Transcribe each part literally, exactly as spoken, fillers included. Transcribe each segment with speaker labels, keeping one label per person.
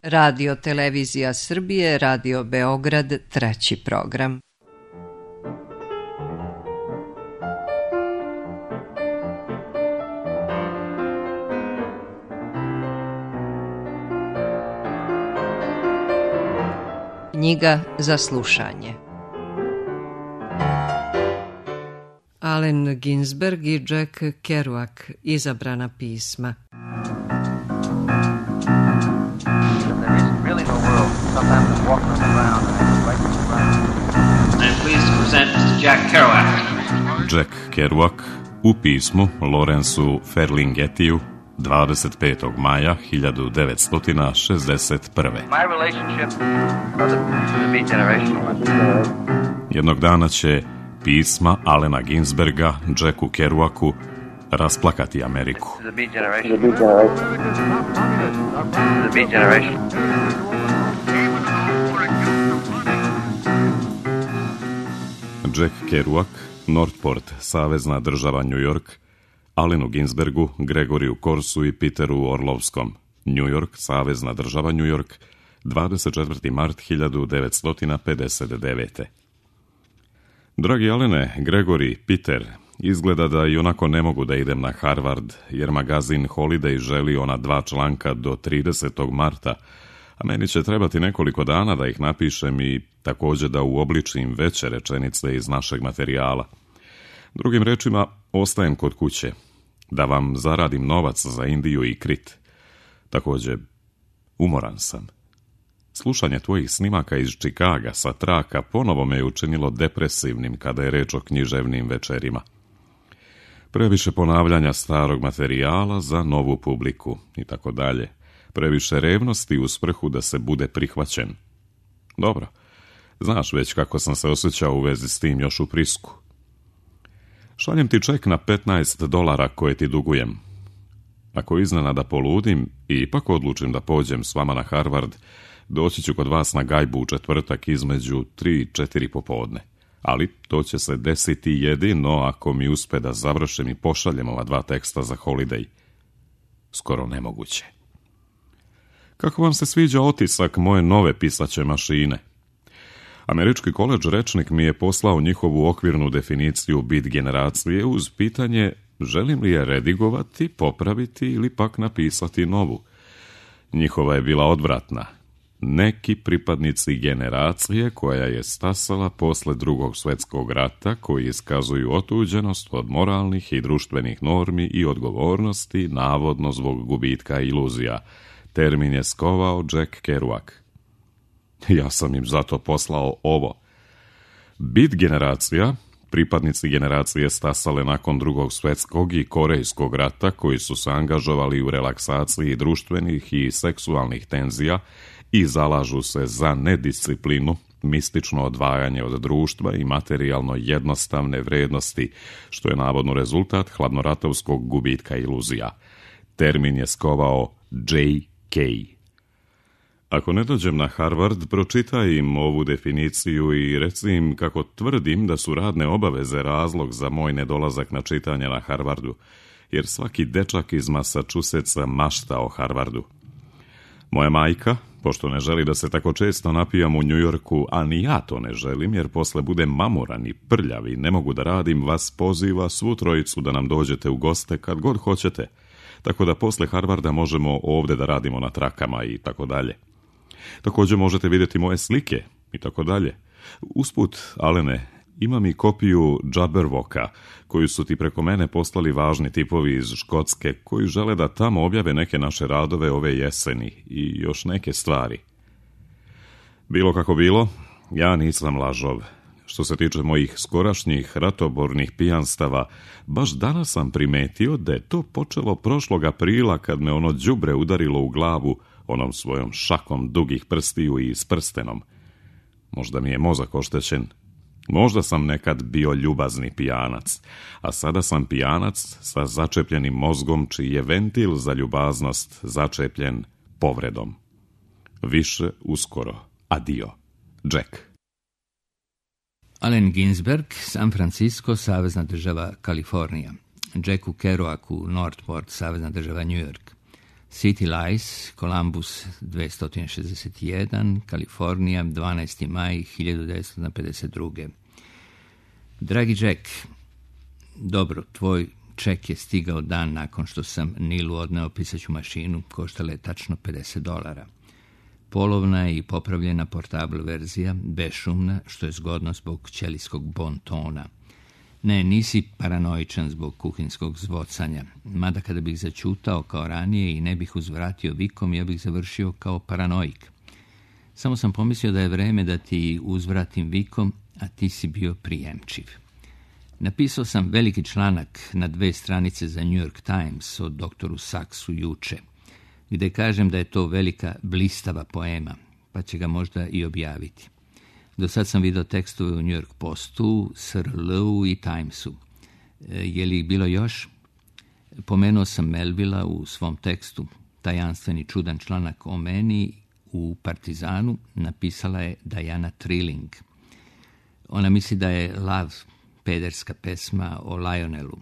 Speaker 1: Radio Televizija Srbije, Radio Beograd, treći program. Knjiga za slušanje. Allen Ginsberg i Jack Kerouac, izabrana pisma.
Speaker 2: Jack Kerouac u pismu Lawrenceu Ferlinghettiju dvadeset petog maja hiljadu devetsto šezdeset prve. Jednog dana će pisma Allena Ginsberga Jacku Kerouacu rasplakati Ameriku. Jack Kerouac, Northport, savezna država New York, Allenu Ginsbergu, Gregoriju Corsu i Peteru Orlovskom, New York, savezna država New York, dvadeset četvrti mart hiljadu devetsto pedeset devete. Dragi Allene, Gregori, Peter, izgleda da i onako ne mogu da idem na Harvard, jer magazin Holiday želi ona dva članka do tridesetog marta, a meni će trebati nekoliko dana da ih napišem i također da uobličim veće rečenice iz našeg materijala. Drugim rečima, ostajem kod kuće, da vam zaradim novac za Indiju i Krit. Također, umoran sam. Slušanje tvojih snimaka iz Čikaga sa traka ponovo me je učinilo depresivnim kada je reč o književnim večerima. Previše ponavljanja starog materijala za novu publiku i tako dalje. Previše revnosti u svrhu da se bude prihvaćen. Dobro, znaš već kako sam se osjećao u vezi s tim još u Prisku. Šaljem ti ček na petnaest dolara koje ti dugujem. Ako iznenada poludim i ipak odlučim da pođem s vama na Harvard, doći ću kod vas na gajbu u četvrtak između tri i četiri popodne. Ali to će se desiti jedino ako mi uspe da završim i pošaljem ova dva teksta za Holiday. Skoro nemoguće. Kako vam se sviđa otisak moje nove pisaće mašine? Američki koledž rečnik mi je poslao njihovu okvirnu definiciju bit generacije uz pitanje želim li je redigovati, popraviti ili pak napisati novu. Njihova je bila odvratna. Neki pripadnici generacije koja je stasala posle drugog svjetskog rata, koji iskazuju otuđenost od moralnih i društvenih normi i odgovornosti, navodno zbog gubitka iluzija. Termin je skovao Jack Kerouac. Ja sam im zato poslao ovo. Bit generacija, pripadnici generacije stasale nakon drugog svjetskog i korejskog rata, koji su se angažovali u relaksaciji društvenih i seksualnih tenzija i zalažu se za nedisciplinu, mistično odvajanje od društva i materijalno jednostavne vrednosti, što je navodno rezultat hladnoratovskog gubitka iluzija. Termin je skovao J K. Ako ne dođem na Harvard, pročitaj im ovu definiciju i reci im kako tvrdim da su radne obaveze razlog za moj nedolazak na čitanje na Harvardu, jer svaki dečak iz Massachusettsa mašta o Harvardu. Moja majka, pošto ne želi da se tako često napijam u New Yorku, a ni ja to ne želim, jer posle budem mamuran i prljav i ne mogu da radim, vas poziva svu trojicu da nam dođete u goste kad god hoćete, tako da posle Harvarda možemo ovde da radimo na trakama i tako dalje. Također možete vidjeti moje slike i tako dalje. Usput, Allene, imam i kopiju Jabberwocka, koju su ti preko mene poslali važni tipovi iz Škotske, koji žele da tamo objave neke naše radove ove jeseni i još neke stvari. Bilo kako bilo, ja nisam lažov. Što se tiče mojih skorašnjih ratobornih pijanstava, baš danas sam primetio da je to počelo prošlog aprila kad me ono đubre udarilo u glavu onom svojom šakom dugih prstiju i s prstenom. Možda mi je mozak oštećen. Možda sam nekad bio ljubazni pijanac, a sada sam pijanac sa začepljenim mozgom čiji je ventil za ljubaznost začepljen povredom. Više uskoro. Adio. Jack.
Speaker 3: Allen Ginsberg, San Francisco, savezna država Kalifornija. Jacku Kerouacu, Northport, savezna država New York. City Lights, Columbus dvesta šezdeset jedan, Kalifornija, dvanaesti maj hiljadu devetsto pedeset druge. Dragi Jack, dobro, tvoj ček je stigao dan nakon što sam Nilu odneo pisaću mašinu, koštala je tačno pedeset dolara. Polovna i popravljena portable verzija, bešumna, što je zgodno zbog ćelijskog bontona. Ne, nisi paranoičan zbog kuhinskog zvocanja, mada kada bih začutao kao ranije i ne bih uzvratio vikom, ja bih završio kao paranoik. Samo sam pomislio da je vreme da ti uzvratim vikom, a ti si bio prijemčiv. Napisao sam veliki članak na dve stranice za New York Times o doktoru Saxu juče, gde kažem da je to velika blistava poema, pa će ga možda i objaviti. Do sad sam vidio tekstove u New York Postu, S R L-u i Timesu. Je li bilo još? Pomenuo sam Melvilla u svom tekstu. Tajanstveni čudan članak o meni u Partizanu napisala je Diana Trilling. Ona misli da je Love pederska pesma o Lionelu.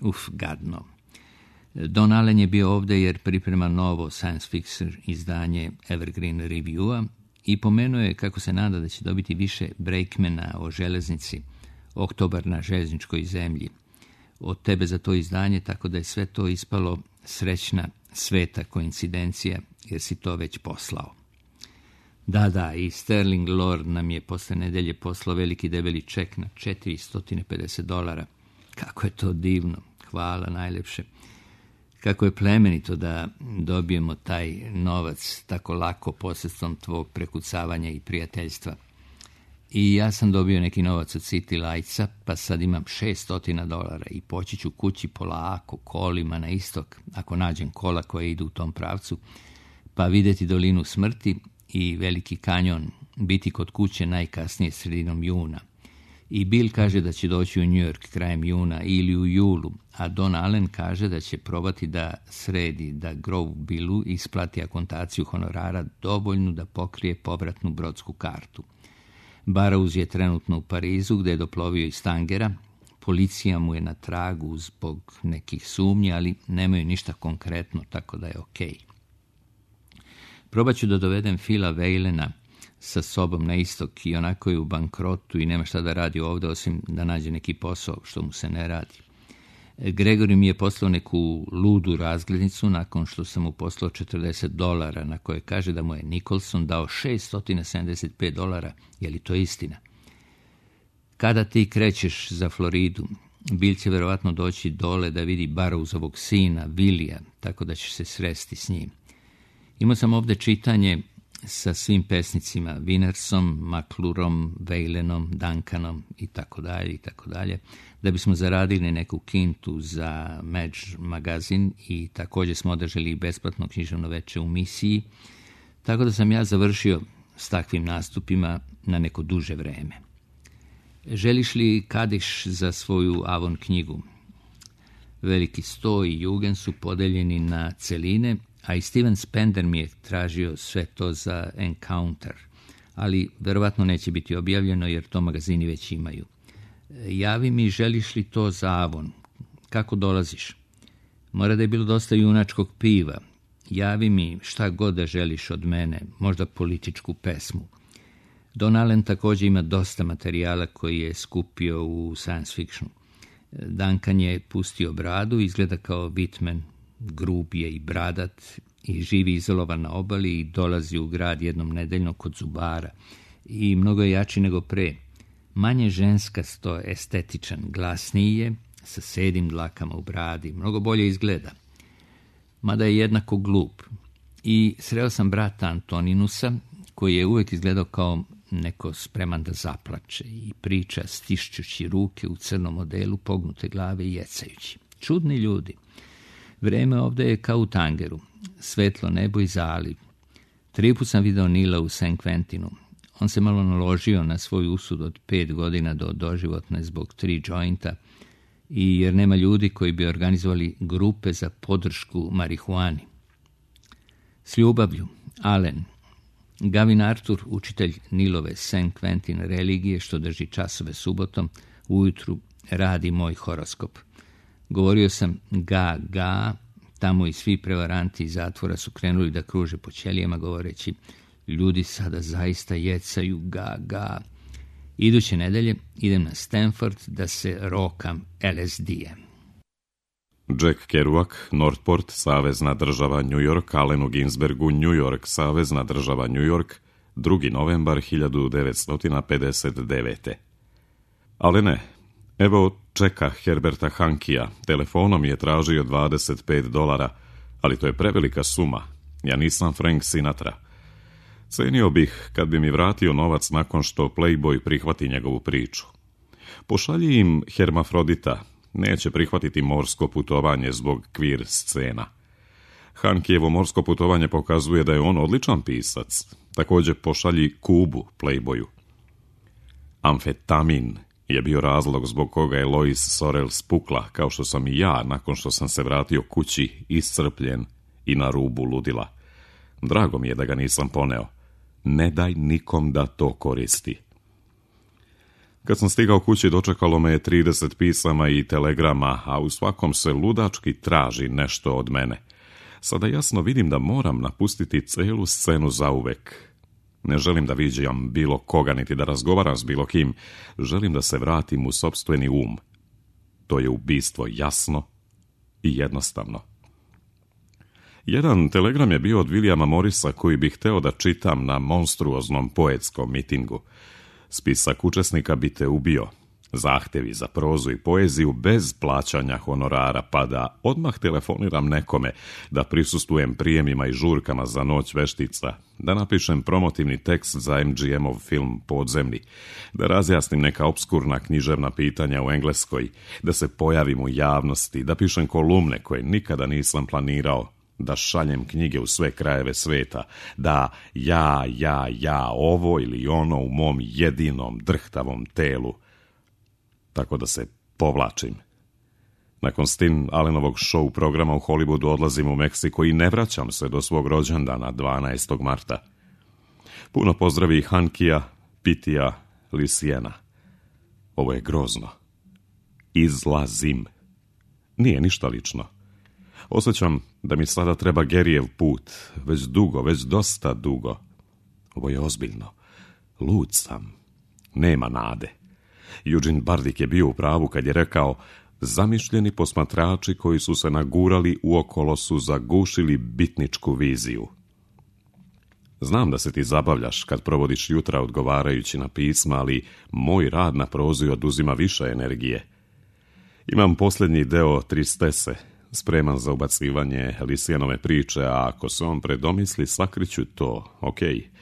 Speaker 3: Uf, gadno. Don Allen je bio ovdje jer priprema novo science fiction izdanje Evergreen Review-a i pomenuo je kako se nada da će dobiti više breakmana o železnici, Oktobar na željezničkoj zemlji, od tebe za to izdanje, tako da je sve to ispalo srećna sveta koincidencija, jer si to već poslao. Da, da, i Sterling Lord nam je posle nedelje poslao veliki debeli ček na četiristo pedeset dolara. Kako je to divno, hvala najlepše. Kako je plemenito da dobijemo taj novac tako lako posredstvom tvog prekucavanja i prijateljstva. I ja sam dobio neki novac od City Lightsa, pa sad imam šesto dolara i poći ću kući polako kolima na istok, ako nađem kola koje idu u tom pravcu, pa vidjeti dolinu smrti i veliki kanjon, biti kod kuće najkasnije sredinom juna. I Bill kaže da će doći u New York krajem juna ili u julu, a Don Allen kaže da će probati da sredi, da Grove Billu isplati akontaciju honorara dovoljnu da pokrije povratnu brodsku kartu. Burroughs je trenutno u Parizu, gdje je doplovio iz Tangera. Policija mu je na tragu zbog nekih sumnji, ali nemaju ništa konkretno, tako da je okej. Probat ću da dovedem Phila Whalena sa sobom na istok i onako je u bankrotu i nema šta da radi ovdje osim da nađe neki posao što mu se ne radi. Gregory mi je poslao neku ludu razglednicu nakon što sam mu poslao četrdeset dolara, na koje kaže da mu je Nicholson dao šesto sedamdeset pet dolara. Je li to istina? Kada ti krećeš za Floridu, Bill će verovatno doći dole da vidi Burroughsovog sina, Willija, tako da će se sresti s njim. Imao sam ovdje čitanje sa svim pesnicima, Winnersom, McClurom, Whalenom, Duncanom i tako dalje i tako dalje, da bismo zaradili neku kintu za Madge magazin i također smo održali besplatno književno veče u misiji, tako da sam ja završio s takvim nastupima na neko duže vreme. Želiš li kadiš za svoju Avon knjigu? Veliki sto i Jugen su podeljeni na celine, a i Steven Spender mi je tražio sve to za Encounter, ali verovatno neće biti objavljeno jer to magazini već imaju. Javi mi, želiš li to za Avon? Kako dolaziš? Mora da je bilo dosta junačkog piva. Javi mi šta god da želiš od mene, možda političku pesmu. Don Allen također ima dosta materijala koji je skupio u science fictionu. Duncan je pustio bradu, izgleda kao Whitman, grub je i bradat i živi izolovan na obali i dolazi u grad jednom nedeljno kod zubara i mnogo je jači nego pre. Manje ženskasto, estetičan, glasniji je, sa sedim dlakama u bradi, mnogo bolje izgleda. Mada je jednako glup. I sreo sam brata Antoninusa, koji je uvijek izgledao kao neko spreman da zaplače i priča stišćući ruke u crnom modelu, pognute glave i jecajući. Čudni ljudi. Vreme ovdje je kao u Tangeru, svetlo nebo i zaliv. Tri put sam video Nila u San Quentinu. On se malo naložio na svoj usud od pet godina do doživotne zbog tri jointa i jer nema ljudi koji bi organizovali grupe za podršku marihuani. S ljubavlju, Allen. Gavin Arthur, učitelj Nilove San Quentin religije, što drži časove subotom, ujutru radi moj horoskop. Govorio sam ga, ga, Tamo i svi prevaranti iz zatvora su krenuli da kruže po ćelijama govoreći: ljudi sada zaista jecaju, ga, ga. Iduće nedelje idem na Stanford da se rokam L S D-em.
Speaker 2: Jack Kerouac, Northport, savezna država New York, Allenu Ginsbergu, New York, savezna država New York, drugi novembar hiljadu devetsto pedeset devete. Ali ne, evo čeka Herberta Hankija, telefonom je tražio dvadeset pet dolara, ali to je prevelika suma, ja nisam Frank Sinatra. Cenio bih kad bi mi vratio novac nakon što Playboy prihvati njegovu priču. Pošalji im Hermafrodita, neće prihvatiti morsko putovanje zbog queer scena. Hankijevo morsko putovanje pokazuje da je on odličan pisac. Također pošalji Kubu Playboyu. Amfetamin je bio razlog zbog koga je Lois Sorel spukla, kao što sam i ja nakon što sam se vratio kući iscrpljen i na rubu ludila. Drago mi je da ga nisam poneo. Ne daj nikom da to koristi. Kad sam stigao kući, dočekalo me je trideset pisama i telegrama, a u svakom se ludački traži nešto od mene. Sada jasno vidim da moram napustiti celu scenu zauvek. Ne želim da viđam bilo koga, niti da razgovaram s bilo kim. Želim da se vratim u sopstveni um. To je ubistvo jasno i jednostavno. Jedan telegram je bio od Williama Morrisa koji bih hteo da čitam na monstruoznom poetskom mitingu. Spisak učesnika bi te ubio. Zahtevi za prozu i poeziju bez plaćanja honorara, pa da odmah telefoniram nekome, da prisustvujem prijemima i žurkama za noć veštica, da napišem promotivni tekst za M G M-ov film Podzemlji, da razjasnim neka obskurna književna pitanja u Engleskoj, da se pojavim u javnosti, da pišem kolumne koje nikada nisam planirao, da šaljem knjige u sve krajeve sveta, da ja, ja, ja, ovo ili ono u mom jedinom drhtavom telu, tako da se povlačim. Nakon Stin Allenovog show programa u Hollywoodu odlazim u Meksiko i ne vraćam se do svog rođendana dvanaestog marta. Puno pozdravi Hankija, Pitija, Lisijena. Ovo je grozno. Izlazim. Nije ništa lično. Osjećam da mi sada treba Gerijev put, već dugo, već dosta dugo. Ovo je ozbiljno. Lud sam. Nema nade. Eugene Bardik je bio u pravu kad je rekao: zamišljeni posmatrači koji su se nagurali uokolo su zagušili bitničku viziju. Znam da se ti zabavljaš kad provodiš jutra odgovarajući na pisma, ali moj rad na prozi oduzima više energije. Imam posljednji deo Tristese, spreman za ubacivanje Lisijanove priče, a ako se on predomisli, sakriću to, okej. Okay.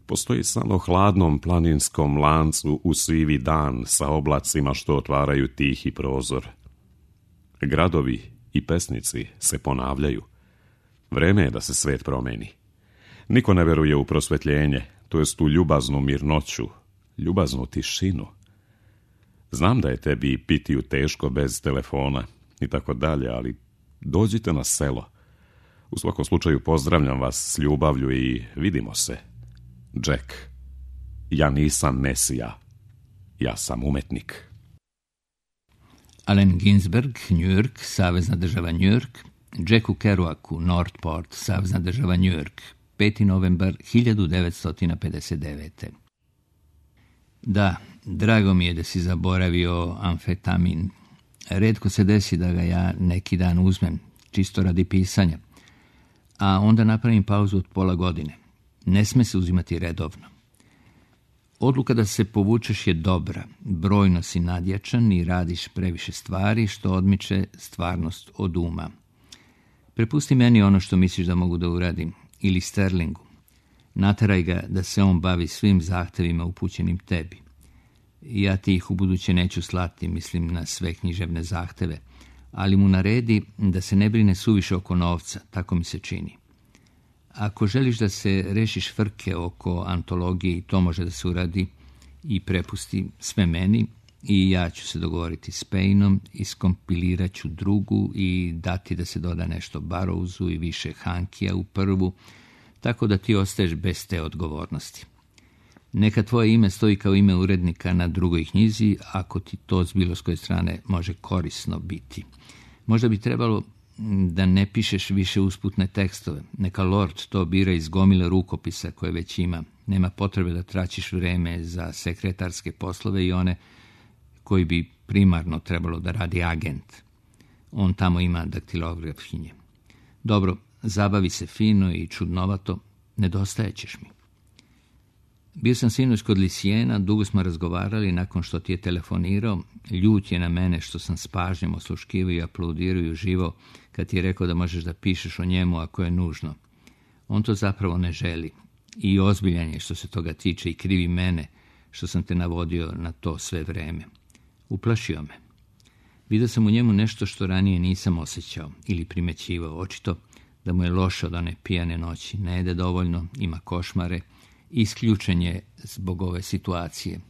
Speaker 2: Postoji samo hladnom planinskom lancu u sivi dan sa oblacima što otvaraju tihi prozor. Gradovi i pesnici se ponavljaju. Vreme je da se svet promeni. Niko ne veruje u prosvetljenje, to jest u ljubaznu mirnoću, ljubaznu tišinu. Znam da je tebi Pitiju teško bez telefona i tako dalje, ali dođite na selo. U svakom slučaju pozdravljam vas s ljubavlju i vidimo se. Jack, ja nisam Mesija, ja sam umetnik.
Speaker 3: Allen Ginsberg, New York, savezna država New York, Jacku Kerouacu, Northport, savezna država New York, peti novembar hiljadu devetsto pedeset devete. Da, drago mi je da si zaboravio amfetamin. Retko se desi da ga ja neki dan uzmem, čisto radi pisanja, a onda napravim pauzu od pola godine. Ne sme se uzimati redovno. Odluka da se povučeš je dobra, brojno si nadjačan i radiš previše stvari što odmiče stvarnost od uma. Prepusti meni ono što misliš da mogu da uradim, ili Sterlingu. Nateraj ga da se on bavi svim zahtevima upućenim tebi. Ja ti ih ubuduće neću slati, mislim na sve književne zahteve, ali mu naredi da se ne brine suviše oko novca, tako mi se čini. Ako želiš da se rešiš frke oko antologije, i to može da se uradi, i prepusti sve meni, i ja ću se dogovoriti s Payneom, iskompilirat ću drugu i dati da se doda nešto Barrowsu i više Hankija u prvu, tako da ti ostaješ bez te odgovornosti. Neka tvoje ime stoji kao ime urednika na drugoj knjizi, ako ti to s bilo s koje strane može korisno biti. Možda bi trebalo da ne pišeš više usputne tekstove. Neka Lord to bira iz gomile rukopisa koje već ima. Nema potrebe da tračiš vreme za sekretarske poslove i one koji bi primarno trebalo da radi agent. On tamo ima daktilografkinje. Dobro, zabavi se fino i čudnovato, nedostajećeš mi. Bio sam sinoć kod Lisijena, dugo smo razgovarali nakon što ti je telefonirao. Ljut je na mene što sam s pažnjom osluškivao i aplaudirao i uživao kad ti je rekao da možeš da pišeš o njemu ako je nužno. On to zapravo ne želi. I ozbiljan je što se toga tiče i krivi mene što sam te navodio na to sve vreme. Uplašio me. Vidio sam u njemu nešto što ranije nisam osjećao ili primećivao. Očito da mu je loše od one pijane noći. Ne jede dovoljno, ima košmare. Isključen je zbog ove situacije.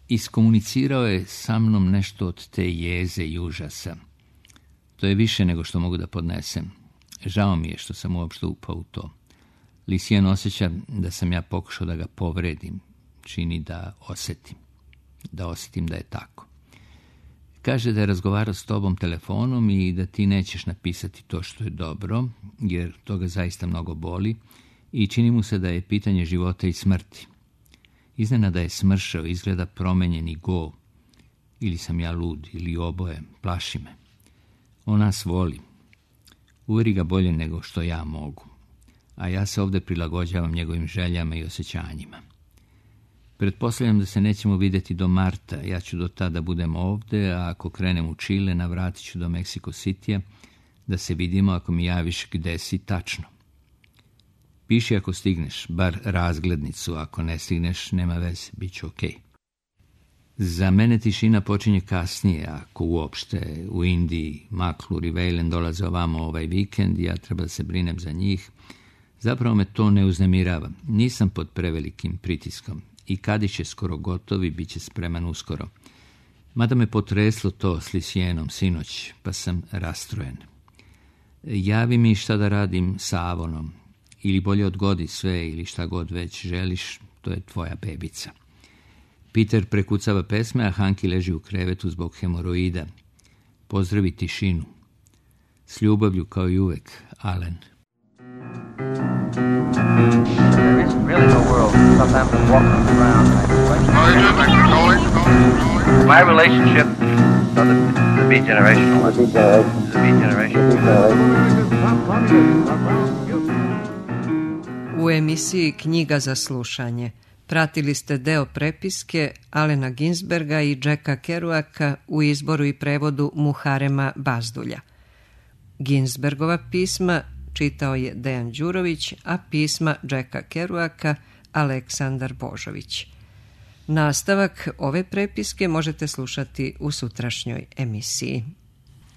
Speaker 3: Iskomunicirao je sa mnom nešto od te jeze i užasa. To je više nego što mogu da podnesem. Žao mi je što sam uopšte upao u to. Lisijan osjeća da sam ja pokušao da ga povredim. Čini da osjetim. Da osjetim da je tako. Kaže da je razgovarao s tobom telefonom i da ti nećeš napisati to što je dobro, jer to ga zaista mnogo boli i čini mu se da je pitanje života i smrti. Iznenada je smršao, izgleda promenjen i go. Ili sam ja lud, ili oboje, plaši me. On nas voli. Uveri ga bolje nego što ja mogu. A ja se ovdje prilagođavam njegovim željama i osjećanjima. Pretpostavljam da se nećemo vidjeti do marta. Ja ću do tada budem ovdje, a ako krenem u Čile, navratit ću do Meksiko Citya, da se vidimo ako mi javiš gde si tačno. Piši ako stigneš, bar razglednicu, ako ne stigneš, nema veze, bit će okej. Za mene tišina počinje kasnije, ako uopšte u Indiji, Maklur i Vejlen dolaze ovamo ovaj vikend i ja treba da se brinem za njih. Zapravo me to ne uznemirava. Nisam pod prevelikim pritiskom i Kadić je skoro gotov i bit će spreman uskoro. Mada me potreslo to s Lisijenom sinoć, pa sam rastrojen. Javi mi šta da radim sa Avonom. Ili bolje odgodi sve ili šta god već želiš, to je tvoja bebica. Peter prekucava pesme, a Hanki leži u krevetu zbog hemoroida. Pozdravi tišinu. S ljubavlju kao i uvek, Alen.
Speaker 4: There is really no world. Sometimes I'm walking on the ground. My relationship, so the, the beat generational. The beat generation.
Speaker 1: U emisiji Knjiga za slušanje pratili ste deo prepiske Alena Ginsberga i Jacka Kerouaka u izboru i prevodu Muharema Bazdulja. Ginsbergova pisma čitao je Dejan Đurović, a pisma Jacka Kerouaka Aleksandar Božović. Nastavak ove prepiske možete slušati u sutrašnjoj emisiji.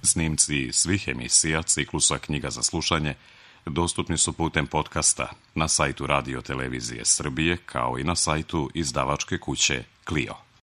Speaker 2: Snimci svih emisija ciklusa Knjiga za slušanje dostupni su putem podcasta na sajtu Radio Televizije Srbije kao i na sajtu izdavačke kuće Clio.